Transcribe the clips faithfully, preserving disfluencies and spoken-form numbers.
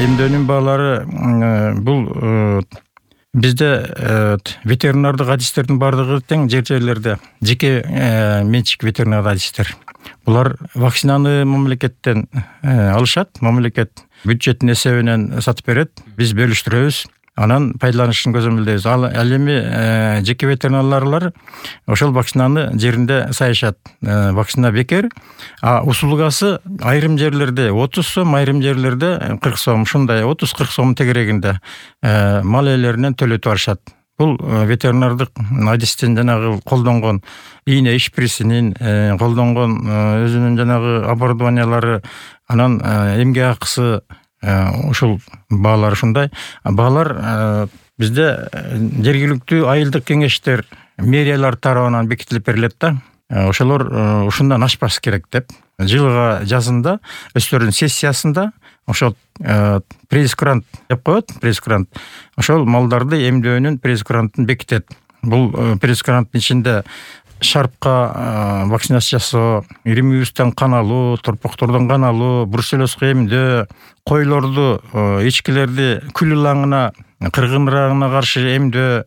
Эмдөөнүн баалары бул бизде ветеринардык адистердин бардыгы тең жер жерлерде жеке менчик ветеринардык адистер. Булар вакцинаны мамлекеттен алышат, мамлекет бюджеттин эсебинен сатып берет, биз бөлүштүрөбүз. Анан пайдаланышын көзөмөлдөйбүз. Ал эми жеке ветеринарлар ошол вакцинаны жеринде сайышат. Вакцина бекер, а услугасы айрым жерлерде отуз сом, айрым жерлерде кырк сом, ушундай отуз кырк сом тегерегинде мал ээлеринен төлөтүп алышат. Бул ветеринардык адистин жанагы колдонгон ийне ишпирисинин, колдонгон өзүнүн жанагы оборудованиялары, анан эмгек акысы, ушул баалар ушундай. Баалар бизде жергиликтүү айылдык кеңештер, мэриялар тарабынан бекитилип берилет да. Ошолор ушундан ашпаш керек деп. Жылга жазында өздөрүнүн сессиясында ошол пресс-грант деп коет, пресс-грант. Ошол малдарды эмдөөнүн пресс-грантын бекитет. Бул пресс-гранттын ичинде шарпка вакцинация жасоо, иримибустан кан алуу, торпоктордон кан алуу, бруцеллезга эмдөө, койлорду, эчкилерди күл ылаңына, кыргын ырагына каршы эмдөө,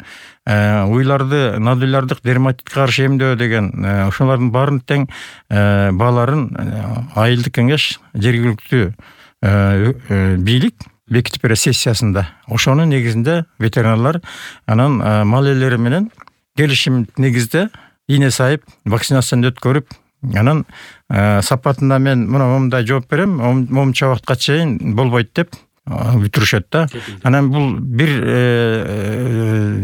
уйларды, нодуляrdык дерматитке каршы эмдөө деген ошолордун баарын тең бааларын айылдык кеңеш, жергиликтүү бийлик бекитип берет сессиясында. Ошонун негизинде ветеринарлар анан мал ээлери менен келишим негизде ийне сайып вакцинацияны өткөрүп, анан сапатына мен мына момундай жооп берем, момунча убакытка чейин болбойт деп бүтүрүшөт да. Анан бул бир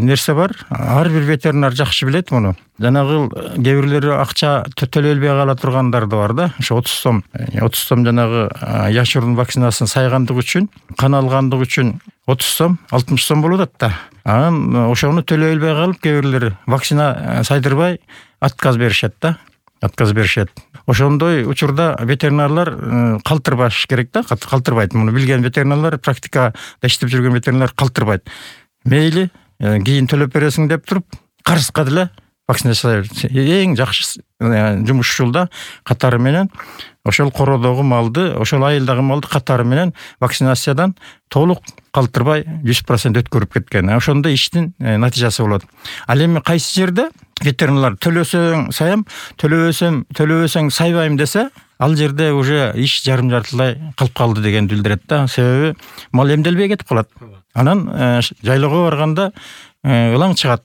нерсе бар, ар бир ветеринар жакшы билет муну. Жанагы кээ бирлери акча төлөбөй кала тургандар да бар да. Ошо отуз сом, отуз сом жанагы яшырын вакцинасын сайгандык үчүн, кан алгандык үчүн отуз сом, алтымыш сом болуп атат да. Анан ошону төлөбөй калып кээ бирлери вакцина сайдырбай отказ беришет да. Отказ беришет. Ошондой учурда ветеринарлар калтырбаш керек да, калтырбайт. Муну билген ветеринарлар, практикада иштеп жүргөн ветеринарлар калтырбайт. Мейли, кийин төлөп бересиң деп туруп, карызга деле вакцинация жасай берет. Эң жакшы жумуш ушул да, катары менен ошол кородогу малды, ошол айылдагы малды катары менен вакцинациядан толук калтырбай жүз процент өткөрүп кеткен. Ошондо иштин натыйжасы болот. Ал эми кайсы жерде ветеринарлар төлөсөң саям, төлөбөсөм, төлөбөсөң сайбайм десе, ал жерде уже иш жарым жартылай калып калды деген билдирет да. Себеби мал эмделбей кетип калат. Анан жайлоого барганда ылаң чыгат.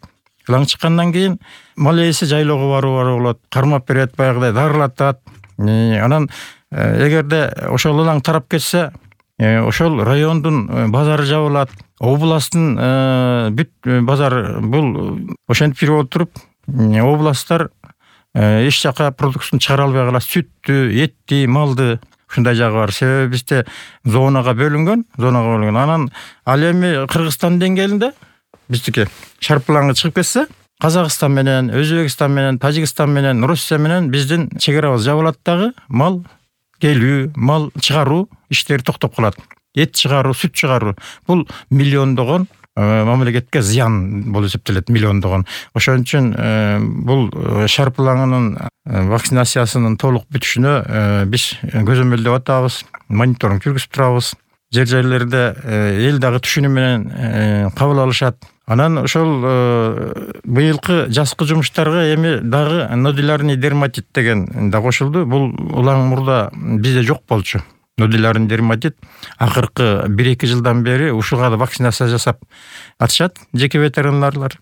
Ылаң чыккандан кийин мал ээси жайлоого баруу болот, кармап берет, баягыдай дарылатат. Анан эгерде ошол ылаң тарап кетсе, ошол райондун базары жабылат, областтын бүт базар бул ошентип жүрүп отуруп, областтар эч жака продукцияны чыгара албай калат. Сүттү, этти, малды ушундай жагы бар. Себеби бизде зонага бөлүнгөн, зонага бөлүнгөн. Анан ал эми Кыргызстан деңгээлинде биздики шарпылаңы чыгып кетсе, Казакстан менен, Өзбекстан менен, Тажикстан менен, Россия менен биздин чегерабыз жабылат дагы, мал келүү, мал чыгаруу иштери токтоп калат. Эт чыгаруу, сүт чыгаруу бул миллиондогон мамлекетке зыян болуп эсептелет, миллиондогон. Ошон үчүн бул шарпылаңынын вакцинациясынын толук бүтүшүнө биз көзөмөлдөп атабыз, мониторинг жүргүзүп турабыз. Жер жерлерде эл дагы түшүнүү менен кабыл алышат. Анан ошол быйылкы жазкы жумуштарга эми дагы нодулярный дерматит деген да кошулду. Бул улаң мурда бизде жок болчу. Нодулярный дерматит акыркы бир-эки жылдан бери ушуга да вакцинация жасап атышат жеке ветеринарлар.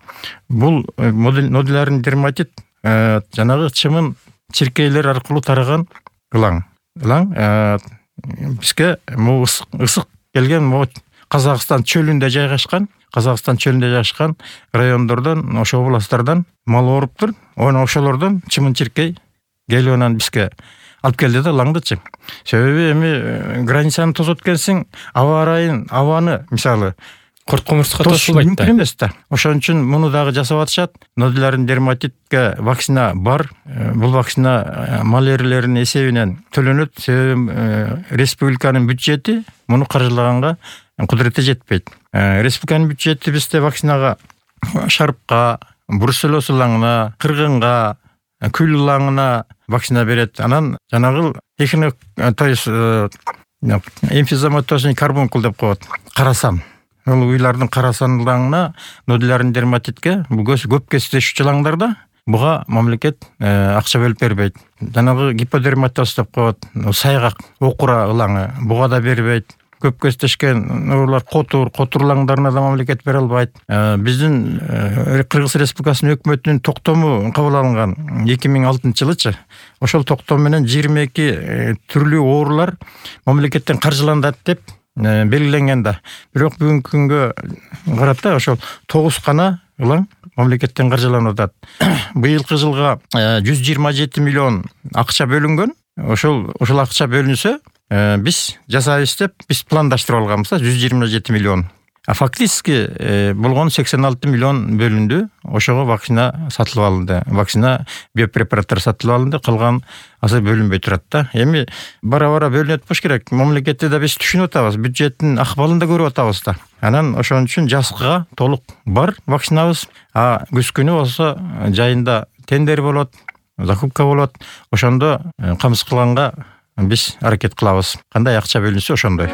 Бул нодулярный дерматит жанагы чымын чиркейлер аркылуу тараган ылаң. Ылаң бизге ысык келген могу Казакстан чөлүндө жайгашкан, Казакстан чөлүндө жайгашкан райондордон, ошол областтардан мал ооруптур. Оны ошолордон чымын чиркей келип анан бизге алып келди да ылаңдычы. Себеби эми границаны тосуп өткенсиң, аба ырайын, абаны мисалы корт комурска тосулбайт да. Мүмкүн эмес да. Ошон үчүн муну дагы жасап атышат. Нодулярный дерматитке вакцина бар. Бул вакцина мал ээлеринин эсебинен төлөнөт. Себеби республиканын бюджети муну каржылаганга кудурети жетпейт. Республиканын бюджети бизде вакцинага шарпка, бруцеллез ылаңына, кыргынга, күл ылаңына вакцина берет. Анан жанагы техник, то есть эмфизематозный карбункул деп коет, карасан. Ол уйлардын карасандылыгына, нодулярный дерматитке бул көп кездешүү жылаңдарда буга мамлекет акча бөлүп бербейт. Жанагы гиподерматоз деп коет, сайгак, окура ылаңы буга да бербейт. Көп кездешкен оорулар котур, котурлаңдарына да мамлекет бере албайт. Биздин Кыргыз Республикасынын өкмөтүнүн токтому кабыл алынган эки миң алтынчы жылычы. Ошол токтом менен жыйырма эки түрлүү оорулар мамлекеттен каржыланат деп белгиленген да. Бирок бүгүнкү күнгө карата ошол тогуз гана ылаң мамлекеттен каржыланып атат. Быйылкы жылга жүз жыйырма жети миллион акча бөлүнгөн. Ошол ошол акча бөлүнсө, биз жасайбыз деп биз пландаштырып алганбыз, жүз жыйырма жети миллион. А фактически болгон сексен алты миллион бөлүндү. Ошого вакцина сатылып алынды. Вакцина, биопрепараттар сатылып алынды. Калган азыр бөлүнбөй турат да. Эми бара-бара бөлүнөт болуш керек. Мамлекетти да биз түшүнүп атабыз, бюджеттин акыбалын да көрүп атабыз да. Анан ошон үчүн жазга толук бар вакцинабыз. А күз күнү болсо жайында тендер болот, закупка болот. Ошондо камсыз кылганга биз аракет кылабыз. Кандай акча бөлүнсө ошондой.